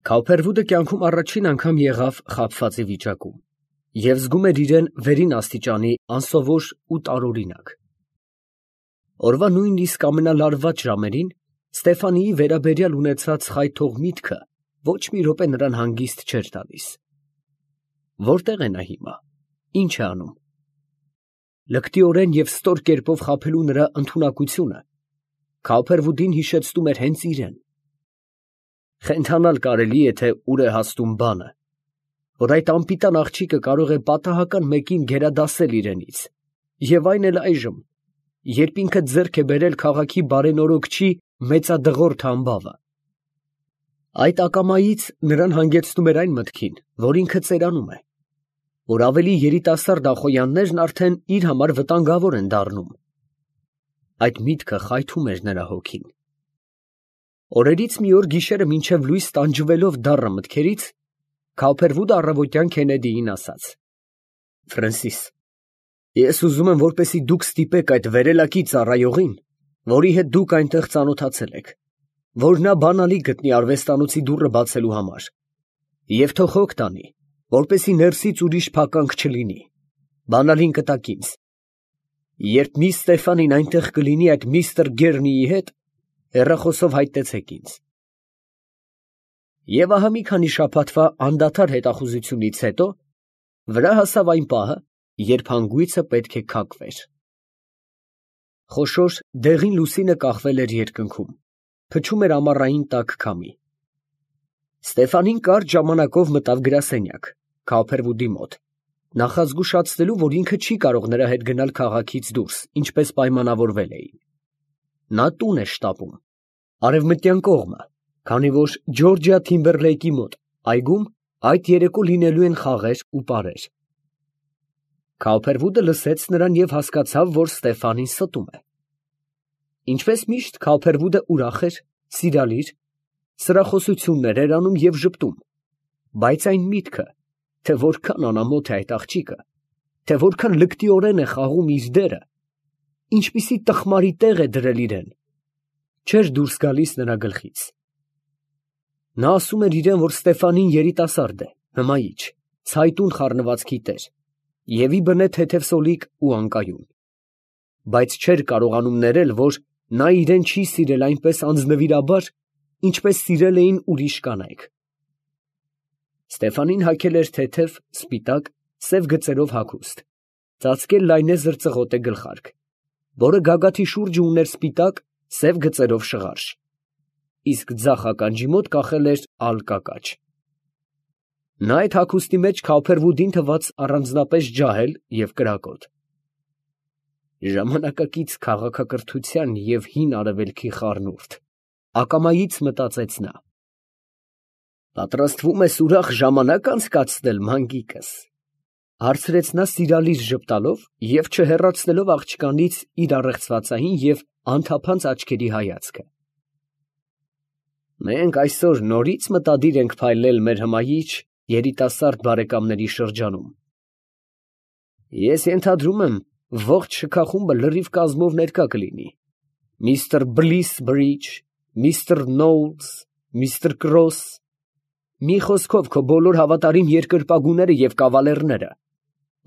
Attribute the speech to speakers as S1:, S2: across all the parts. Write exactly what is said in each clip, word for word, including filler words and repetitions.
S1: Քավփերվուդը կյանքում առաջին անգամ եղավ խաբվածի վիճակում և զգում էր իրան վերին աստիճանի անսովոր ու տարօրինակ։ Օրվա նույնիսկ ամենալարված ժամերին Ստեֆանիի վերաբերյալ ունեցած խայթող միտքը ոչ մի րոպե նրան հանգիստ չէր տալիս։ Որտե՞ղ է նա հիմա, ի՞նչ է անում։ Լկտիորեն և ստոր կերպով խաբելու նրա ընդունակությունը Քավփերվուդին հիշեցնում էր հենց իրան։ Խենթանալ կարելի է, թե ուր է հասնում բանը, որ այդ անպիտան աղջիկը կարող է պատահական մեկին գերադասել իրենից, և այն էլ այժմ, երբ ինքը ձեռք է բերել քաղաքի բարենորոգչի մեծադղրդը ամբավը։ Այդ ակամայից նրան հանգեցնում էր այն մտքին, որ ինքը ծերանում է, որ ավելի երիտասարդ ախոյաններն արդեն իր համար վտանգավոր են դառնում։ Այդ միտքը խայթում էր նրա հոգին։ Օրերից մի օր գիշերը մինչև լույս տանջվելով դառը մտքերից, Քավփերվուդը առավոտյան Քենեդիին ասաց. «Ֆրենսիս, ես ուզում եմ, որպեսզի դուք ստիպեք այդ վերելակի ծառայողին, որի հետ դուք այնտեղ ծանոթացել եք, որ նա բանալի գտնի արվեստանոցի դուռը բացելու համար, և թող հոգ տանի, որպեսզի ներսից ուրիշ փականք չլինի. բանալին կտաք ինձ։ Երբ միս Ստեֆանին այնտեղ կլինի այդ միստր Գեռնիի հետ, հեռախոսով հայտնեցեք ինձ»։ Եվ ահա մի քանի շաբաթվա անդադար հետախուզությունից հետո վրա հասավ այն պահը, երբ հանգույցը պետք է քակվեր։ Խոշոր դեղին լուսինը կախվել էր երկնքում, փչում էր ամառային տաք քամի։ Ստեֆանին կարճ ժամանակով մտավ գրասենյակ, Քավփերվուդի մոտ, նախազգուշացնելու, որ ինքը չի կարող նրա հետ գնալ քաղաքից դուրս, ինչպես պայմանավորվել էին։ Նա տուն է շտապում, արևմտյան կողմը, քանի որ Ջորջիա Թիմբերլեյքի մոտ, այգում, այդ երեկո լինելու են խաղեր ու պարեր։ Քավփերվուդը լսեց նրան և հասկացավ, որ Ստեֆանին ստում է։ Ինչպես միշտ, Քավփերվուդը ուրախ էր, սիրալիր, սրախոսություններ էր անում և ժպտում, բայց այն միտքը, թե որքան անամոթ է այդ աղջիկը, թե որքան լկտիորեն է խաղում իր դերը, ինչպիսի տխմարի տեղ է դրել իրան, չէր դուրս գալիս նրա գլխից։ Նա ասում էր իրան, որ Ստեֆանին երիտասարդ է, հմայիչ, ցայտուն խառնվածքի տեր և ի բնե թեթև սոլիկ ու անկայուն, բայց չէր կարողանում ներել, որ նա իրան չի սիրել այնպես անձնվիրաբար, ինչպես սիրել էին ուրիշ կանայք։ Ստեֆանին հագել էր թեթև, սպիտակ, սև գծերով հագուստ, ծածկել լայնեզր ծղոտե գլխարկ, որը գագաթի շուրջը ուներ սպիտակ, սև գծերով շղարշ, իսկ ձախ ականջի մոտ կախել էր ալկակաչ։ Նա այդ հագուստի մեջ Քավփերվուդին թվաց առանձնապես ջահել և կրակոտ։ Ժամանակակից քաղաքակրթության և հին արևելքի խառնուրդ, ակամայից մտածեց նա։ Պատրաստվում ես ուրախ ժամանակ անցկացնել, մանգիկս, ֊ հարցրեց նա սիրալիր ժպտալով և չհեռացնելով աղջկանից իր առեղծվածային և անթափանց աչքերի հայացքը։ Մենք այսօր նորից մտադիր ենք փայլել մեր հմայիչ, երիտասարդ բարեկամների շրջանում։ Ես ենթադրում եմ, ողջ շքախումբը լրիվ կազմով ներկա կլինի. միստր Բլիսբրիջ, միստր Նոուլս, միստր Կրոս, մի խոսքով, քո բոլոր հավատարիմ երկրպագուները և կավալերները,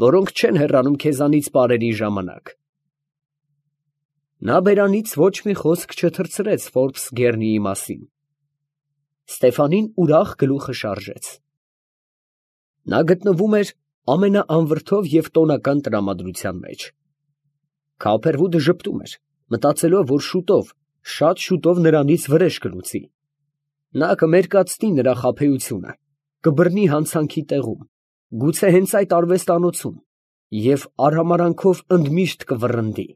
S1: որոնք չեն հեռանում քեզանից պարերի ժամանակ։ Նա բերանից ոչ մի խոսք չթռցրեց Ֆորբս Գեռնիի մասին։ Ստեֆանին ուրախ գլուխը շարժեց։ Նա գտնվում էր ամենաանվրդով և տոնական տրամադրության մեջ։ Քավփերվուդը ժպտում էր, մտածելով, որ շուտով, շատ շուտով նրանից վրեժ կլուծի։ Նա կմերկացնի նրա խաբեությունը, կբռնի հանցանքի տեղում, գուցե հենց այդ արվեստանոցում, և արհամարհանքով ընդմիշտ կվռնդի։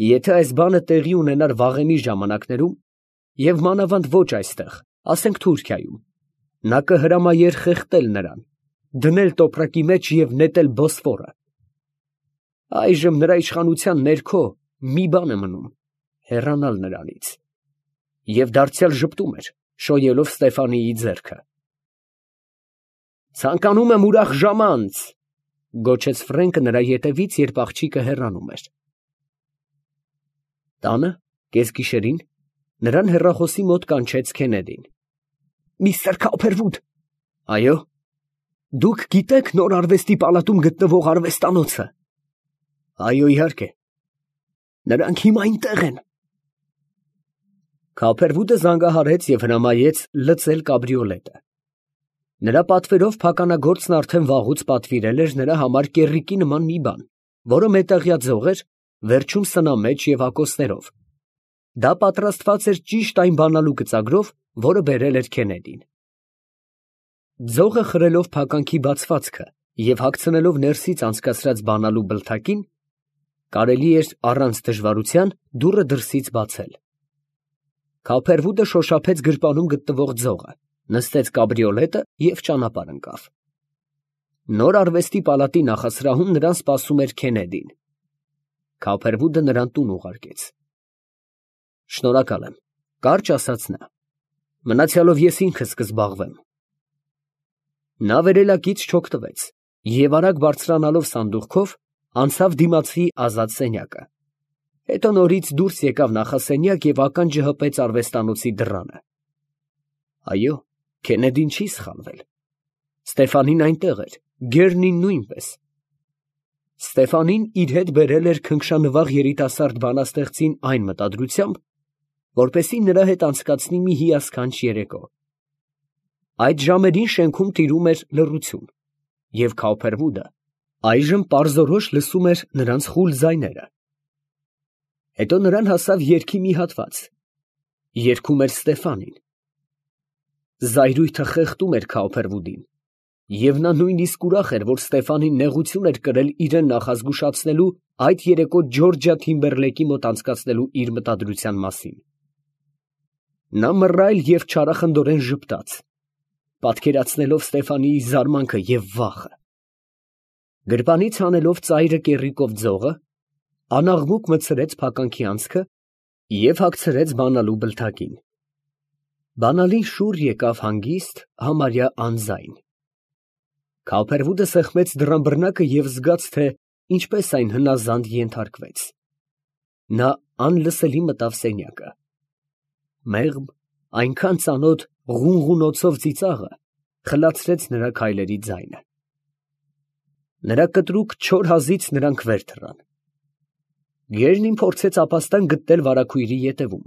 S1: Եթե այս բանը տեղի ունենար վաղեմի ժամանակներում, և մանավանդ ոչ այստեղ, ասենք Թուրքիայում, նա կհրամայեր խեղդել նրան, դնել տոպրակի մեջ և նետել Բոսֆորը։ Այժմ նրա իշխանության ներքո մի բան է մնում՝ հեռանալ նրանից։ Եվ դարձյալ ժպտում էր, շոյելով Ստեֆանիի ձեռքը։ Ցանկանում եմ ուրախ ժամանց, ֊ գոչեց Ֆրենկը նրա ետևից, երբ աղջիկը հեռանում էր։ Տանը, կեսգիշերին, նրան հեռախոսի մոտ կանչեց Քենեդին։ միստր Քոփերվուդ։ Այո։ Դուք գիտեք նոր արվեստի պալատում գտնվող արվեստանոցը։ Այո, իհարկե։ Նրանք հիմա այնտեղ են։ Քոփերվուդը զանգահարեց և հրամայեց լցել կաբրիոլետը։ Նրա պատվերով փականագործն արդեն վաղուց պատվիրել էր նրա համար կեռիկի նման մի բան, որը մետաղյա ձող էր, վերջում սնամեջ և ակոսներով։ Դա պատրաստված էր ճիշտ այն բանալու գծագրով, որը բերել էր Քենեդին։ Ձողը խրելով փականքի բացվածքը և հագցնելով ներսից անցկացրած բանալու բլթակին, կարելի էր առանց դժվարության դուռը դրսից բացել։ Քոփերվուդը շոշափեց գրպանում գտնվող ձողը, նստեց կաբրիոլետը և ճանապարհ ընկավ։ Նոր արվեստի պալատի նախասրահում նրան սպասում էր Քենեդին։ Քոփերվուդը նրան տուն ուղարկեց։ Շնորհակալ եմ, կարճ ասաց նա, մնացյալով ես ինքս կզբաղվեմ։ Նա վերելակից չօգտվեց և արագ բարձրանալով սանդուղքով, անցավ դիմացի ազատ սենյակը։ Հետո նորից դուրս եկավ նախասենյակ և ականջը հպեց արվեստանոցի դռանը։ Այո, Քենեդին չի սխալվել։ Ստեֆանին այնտեղ էր, Գերնին նույնպես։ Ստեֆանին իր հետ բերել էր քնքշանվաղ երիտասարդ բանաստեղծին այն մտադրությամբ, որպեսզի նրա հետ անցկացնի մի հիասքանչ երեկո։ Այդ ժամերին շենքում տիրում էր լռություն, և Քոփերվուդը այժմ պարզորոշ լսում էր նրանց խուլ ձայները։ Հետո նրան հասավ երգի մի հատված։ Երգում էր Ստեֆանին։ Զայրույթը խեղդում էր Քոփերվուդին, և նա նույնիսկ ուրախ էր, որ Ստեֆանին նեղություն էր կրել իրեն նախազգուշացնելու այդ երեկո Ջորջիա Թիմբերլեյքի մոտ անցկացնելու իր մտադրության մասին։ Նա մռայլ և չարախնդորեն ժպտաց, պատկերացնելով Ստեֆանիի զարմանքը և վախը։ Գրպանից հանելով ծայրը կեռիկով ձողը, անաղմուկ մտցրեց փականքի անցքը և հագցրեց բանալու բլթակին։ Բանալին շուռ եկավ հանգիստ, համարյա անձայն։ Քոփերվուդը սեղմեց դռան բռնակը և զգաց, թե ինչպես այն հնազանդ ենթարկվեց։ Նա անլսելի մտավ սենյակը։ Մեղմ, այնքան ծանոթ ղունղունոցով ծիծաղը խլացրեց նրա քայլերի ձայնը։ Նրա կտրուկ չոր հազից նրանք վեր թռան։ Գերնին փորձեց ապաստան գտնել վարագույրի ետևում։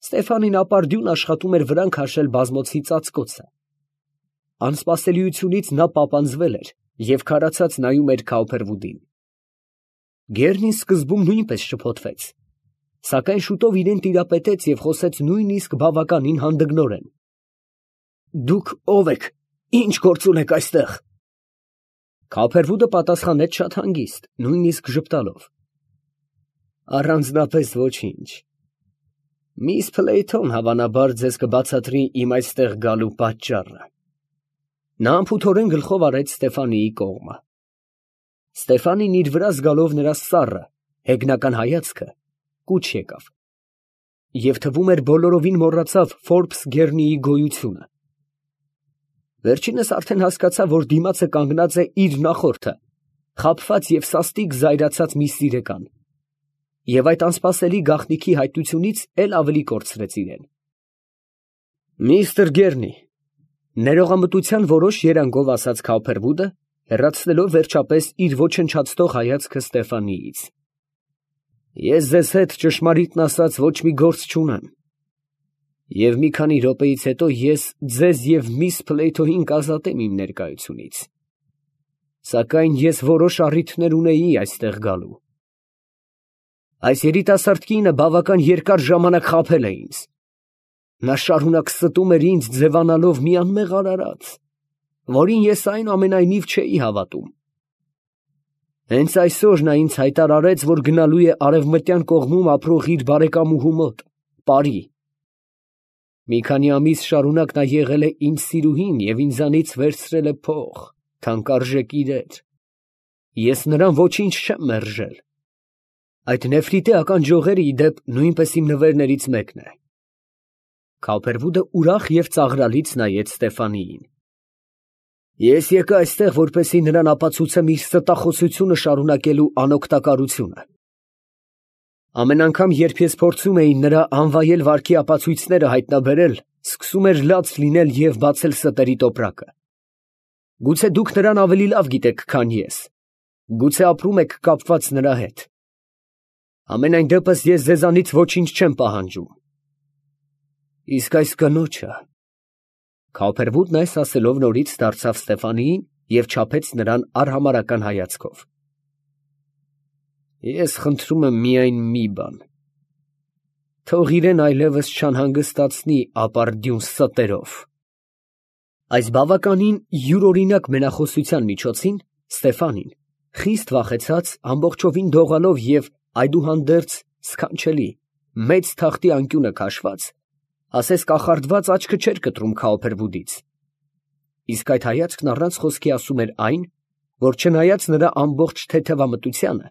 S1: Ստեֆանին ապարդյուն աշխատում էր վրան քաշել բազմոցի ծածկոցը։ Անսպասելիությունից նա պապանձվել էր և քարացած նայում էր Քոփերվուդին։ Գերնին սկզբում նույնպես շփոթվեց, սակայն շուտով իրեն տիրապետեց և խոսեց նույնիսկ բավականին հանդգնորեն։ Դուք ո՞վ եք, ի՞նչ գործ ունեք այստեղ։ Քոփերվուդը պատասխանեց շատ հանգիստ, նույնիսկ ժպտալով. Առանձնապես ոչինչ։ Միս Փլեյթոն հավանաբար ձեզ կբացատրի իմ այստեղ գալու պատճառը։ Նա անփութորեն գլխով արեց Ստեֆանիի կողմը։ Ստեֆանին իր վրա զգալով նրա սառը, հեգնական հայացքը, կուչ եկավ, և թվում էր բոլորովին մոռացավ Ֆորբս Գերնիի գոյությունը։ Վերջինս արդեն հասկացավ, որ դիմացը կանգնած է իր նախորդը, խաբված և սաստիկ զայրացած մի սիրեկան, և այդ անսպասելի գաղտնիքի հայտնությունից էլ ավելի կորցրեց իրեն։ Միստր Գերնի, ներողամտության որոշ երանգով ասաց Քոփերվուդը, հեռացնելով վերջապես իր ոչնչացնող հայացքը Ստեֆանիից։ Ես ձեզ հետ ճշմարիտն ասած ոչ մի գործ չունեմ, և մի քանի րոպեից հետո ես ձեզ և միս Փլեյթոյին կազատեմ իմ ներկայությունից, սակայն ես որոշ առիթներ ունեի այստեղ գալու։ Այս երիտասարդ կինը բավական երկար ժամանակ խաբել է ինձ։ Նա շարունակ ստում էր ինձ ձևանալով մի անմեղ արարած, որին ես այնուամենայնիվ չէի հավատում։ Հենց այսօր նա ինձ հայտարարեց, որ գնալու է արևմտյան կողմում ապրող իր բարեկամուհու մոտ, Պարի։ Մի քանի ամիս շարունակ նա եղել է իմ սիրուհին և ինձանից վերցրել է փող, թանկարժեք իրեր։ Ես նրան ոչինչ չեմ մերժել։ Այդ նեֆրիտի ականջողերը, ի դեպ, նույնպես իմ նվերներից մեկն է։ Քոփերվուդը ուրախ և ծաղրալից նայեց Ստեֆանիին։ Ես եկա այստեղ, որպեսզի նրան ապացուցեմ իր ստախոսությունը շարունակելու անօգտակարությունը։ Ամեն անգամ, երբ ես փորձում էի նրա անվայել վարքի ապացույցները հայտնաբերել, սկսում էր լաց լինել և բացել ստերի տոպրակը։ Գուցե դուք նրան ավելի լավ գիտեք, քան ես, գուցե ապրում եք կապված նրա հետ։ Համենայն դեպս ես ձեզանից ոչինչ չեմ պահանջում։ Իսկ այս կնոջը… Քավոփրվուդն այս ասելով նորից դարձավ Ստեֆանիին և չափեց նրան արհամարհական հայացքով։ Ես խնդրում եմ միայն մի բան. թող իրեն այլևս չանհանգստացնի ապարդյուն ստերով։ Այս բավականին յուրօրինակ մենախոսության միջոցին Ստեֆանին, խիստ վախեցած, ամբողջովին դողալով և այդուհանդերձ սքանչելի, մեծ թախտի անկյունը քաշված, ասես կախարդված աչքը չէր կտրում Քավոփրվուդից։ Իսկ այդ հայացքն առանց խոսքի ասում էր այն, որ չնայած նրա ամբողջ թեթևամտությանը,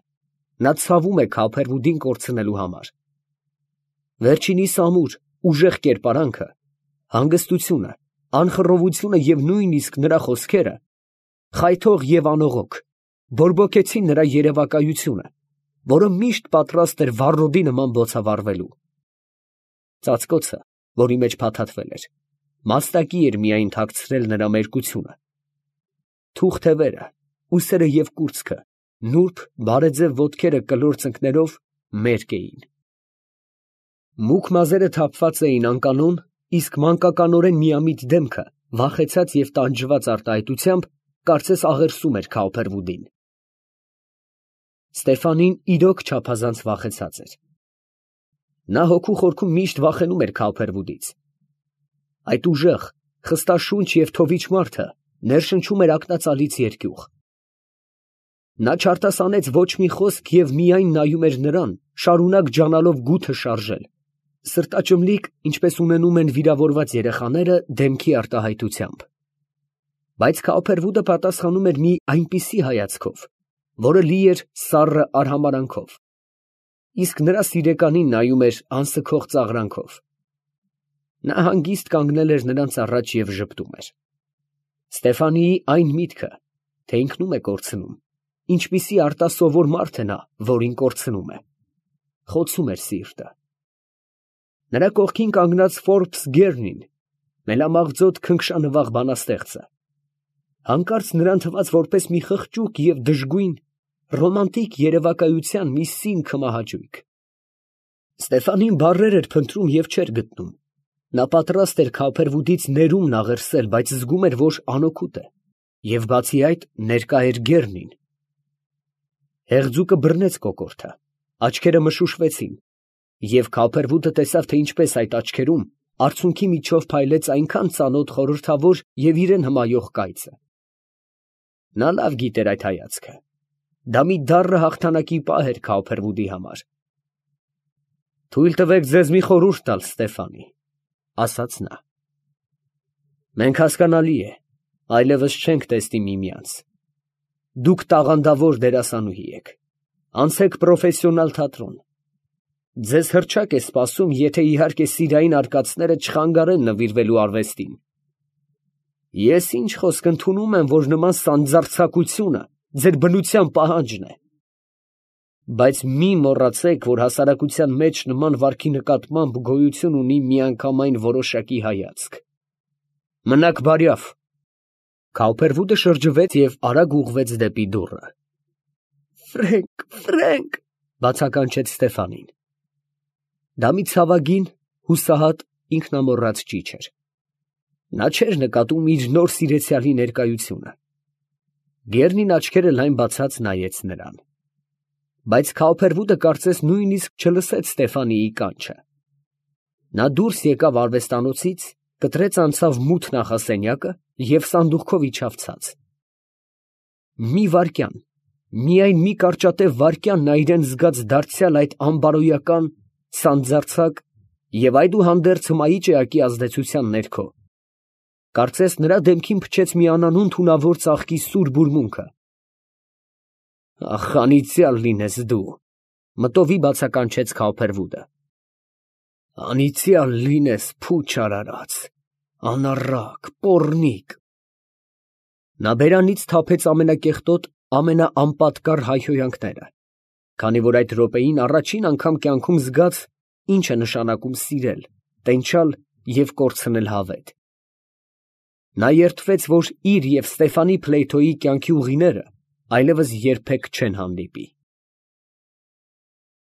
S1: նա ցավում է Քավոփրվուդին կորցնելու համար։ Վերջինիս ամուր, ուժեղ կերպարանքը, հանգստությունը, անխռովությունը և նույնիսկ նրա խոսքերը, խայթող և անողոք, բորբոքեցին նրա երևակայությունը, որը միշտ պատրաստ էր վառոդի նման բոցավառվելու։ Ծածկոցը, որի մեջ փաթաթվել էր, մաստակի էր միայն թաքցրել նրա մերկությունը։ Թուղ թևերը, ուսերը և կուրծքը, նուրբ, բարեձև ոտքերը կլոր ծնկներով մերկ էին։ Մուգ մազերը թափված էին անկանոն, իսկ մանկականորեն միամիտ դեմքը, վախեցած և տանջված արտահայտությամբ, կարծես աղերսում էր Քավոփրվուդին։ Ստեֆանին իրոք չափազանց վախեցած էր։ Նա հոգու խորքում միշտ վախենում էր Քավոփրվուդից։ Այդ ուժեղ, խստաշունչ և թովիչ մարդը ներշնչում էր ակնածալից երկյուղ։ Նա չարտասանեց ոչ մի խոսք և միայն նայում էր նրան, շարունակ ջանալով գութը շարժել, սրտաճմլիկ, ինչպես ունենում են վիրավորված երեխաները դեմքի արտահայտությամբ։ Բայց Քավոփրվուդը պատասխանում էր մի այնպիսի հայացքով, որը լի էր սառը արհամարհանքով, իսկ նրա սիրեկանին նայում էր անսքող ծաղրանքով։ Նա հանգիստ կանգնել էր նրանց առաջ և ժպտում էր։ Ստեֆանիի այն միտքը, թե ինքնում է կորցնում, ինչպիսի արտասովոր մարդ է նա, որին կորցնում է, խոցում էր սիրտը։ Նրա կողքին կանգնած Ֆորբս Գերնին, մելամաղձոտ քնքշանվաղ բանաստեղծը, հանկարծ նրան թվաց որպես մի խղճուկ և դժգույն, ռոմանտիկ երևակայության մի սին քմահաճույք։ Ստեֆանին բառեր էր փնտրում և չէր գտնում։ Նա պատրաստ էր Քավոփրվուդից ներումն աղերսել, բայց զգում էր, որ անօգուտ է, և բացի այդ, ներկա էր Գերնին։ Հեղձուկը բռնեց կոկորդը, աչքերը մշուշվեցին, և Քավոփրվուդը տեսավ, թե ինչպես այդ աչքերում արցունքի միջով փայլեց այնքան ծանոթ խորհրդավոր և իրան հմայող կայծը։ Նա լավ գիտեր այդ հայացքը. դա մի դառը հաղթանակի պահ էր Քավոփրվուդի համար։ «Թույլ տվեք ձեզ մի խորհուրդ տալ, Ստեֆանի, ֊ ասաց նա. ֊ մենք, հասկանալի է, այլևս չենք տեսնի միմյանց. դուք տաղանդավոր դերասանուհի եք, անցեք պրոֆեսիոնալ թատրոն, ձեզ հռչակ է սպասում, եթե իհարկե սիրային արկածները չխանգարեն նվիրվելու արվեստին։ Ես ինչ խոսք ընդունում եմ, որ նման սանձարձակությունը ձեր բնության պահանջն է։ Բայց մի մոռացեք, որ հասարակության մեջ նման վարքի նկատմամբ գոյություն ունի միանգամայն որոշակի հայացք։ Մնաք բարյավ։ Քավոփրվուդը շրջվեց և արագ ուղղվեց դեպի դուռը։ Ֆրենկ, Ֆրենկ, ֊ բացականչեց Ստեֆանին։ Դա մի ցավագին, հուսահատ, ինքնամոռաց ճիչ էր։ Նա չէր նկատում իր նոր սիրեցյալի ներկայությունը։ Գերնին աչքերը լայն բացած նայեց նրան։ Բայց Քավոփրվուդը կարծես նույնիսկ չլսեց Ստեֆանիի կանչը։ Նա դուրս եկավ արվեստանոցից, կտրեց անցավ մութ նախասենյակը և սանդուղքով իջավ ցած։ Մի վայրկյան, միայն մի կարճատև վայրկյան նա իրան զգաց դարձյալ այդ անբարոյական, սանձարձակ և այդուհանդերձ հմայիչ էակի ազդեցության ներքո, կարծես նրա դեմքին փչեց մի անանուն թունավոր ծաղկի սուր բուրմունքը։ Ախ, անիծյալ լինես դու, ֊ մտովի բացականչեց Քավոփրվուդը։ Անիծյալ լինես, փուչ արարած, անառակ, պոռնիկ։ Նա բերանից թափեց ամենակեղտոտ, ամենաանպատկառ հայհոյանքները, քանի որ այդ րոպեին առաջին անգամ կյանքում զգաց, ինչ է նշանակում սիրել, տենչալ և կորցնել հավետ։ Նա երդվեց, որ իր և Ստեֆանի Ֆլեյթոյի կյանքի ուղիները այլևս երբեք չեն հանդիպի։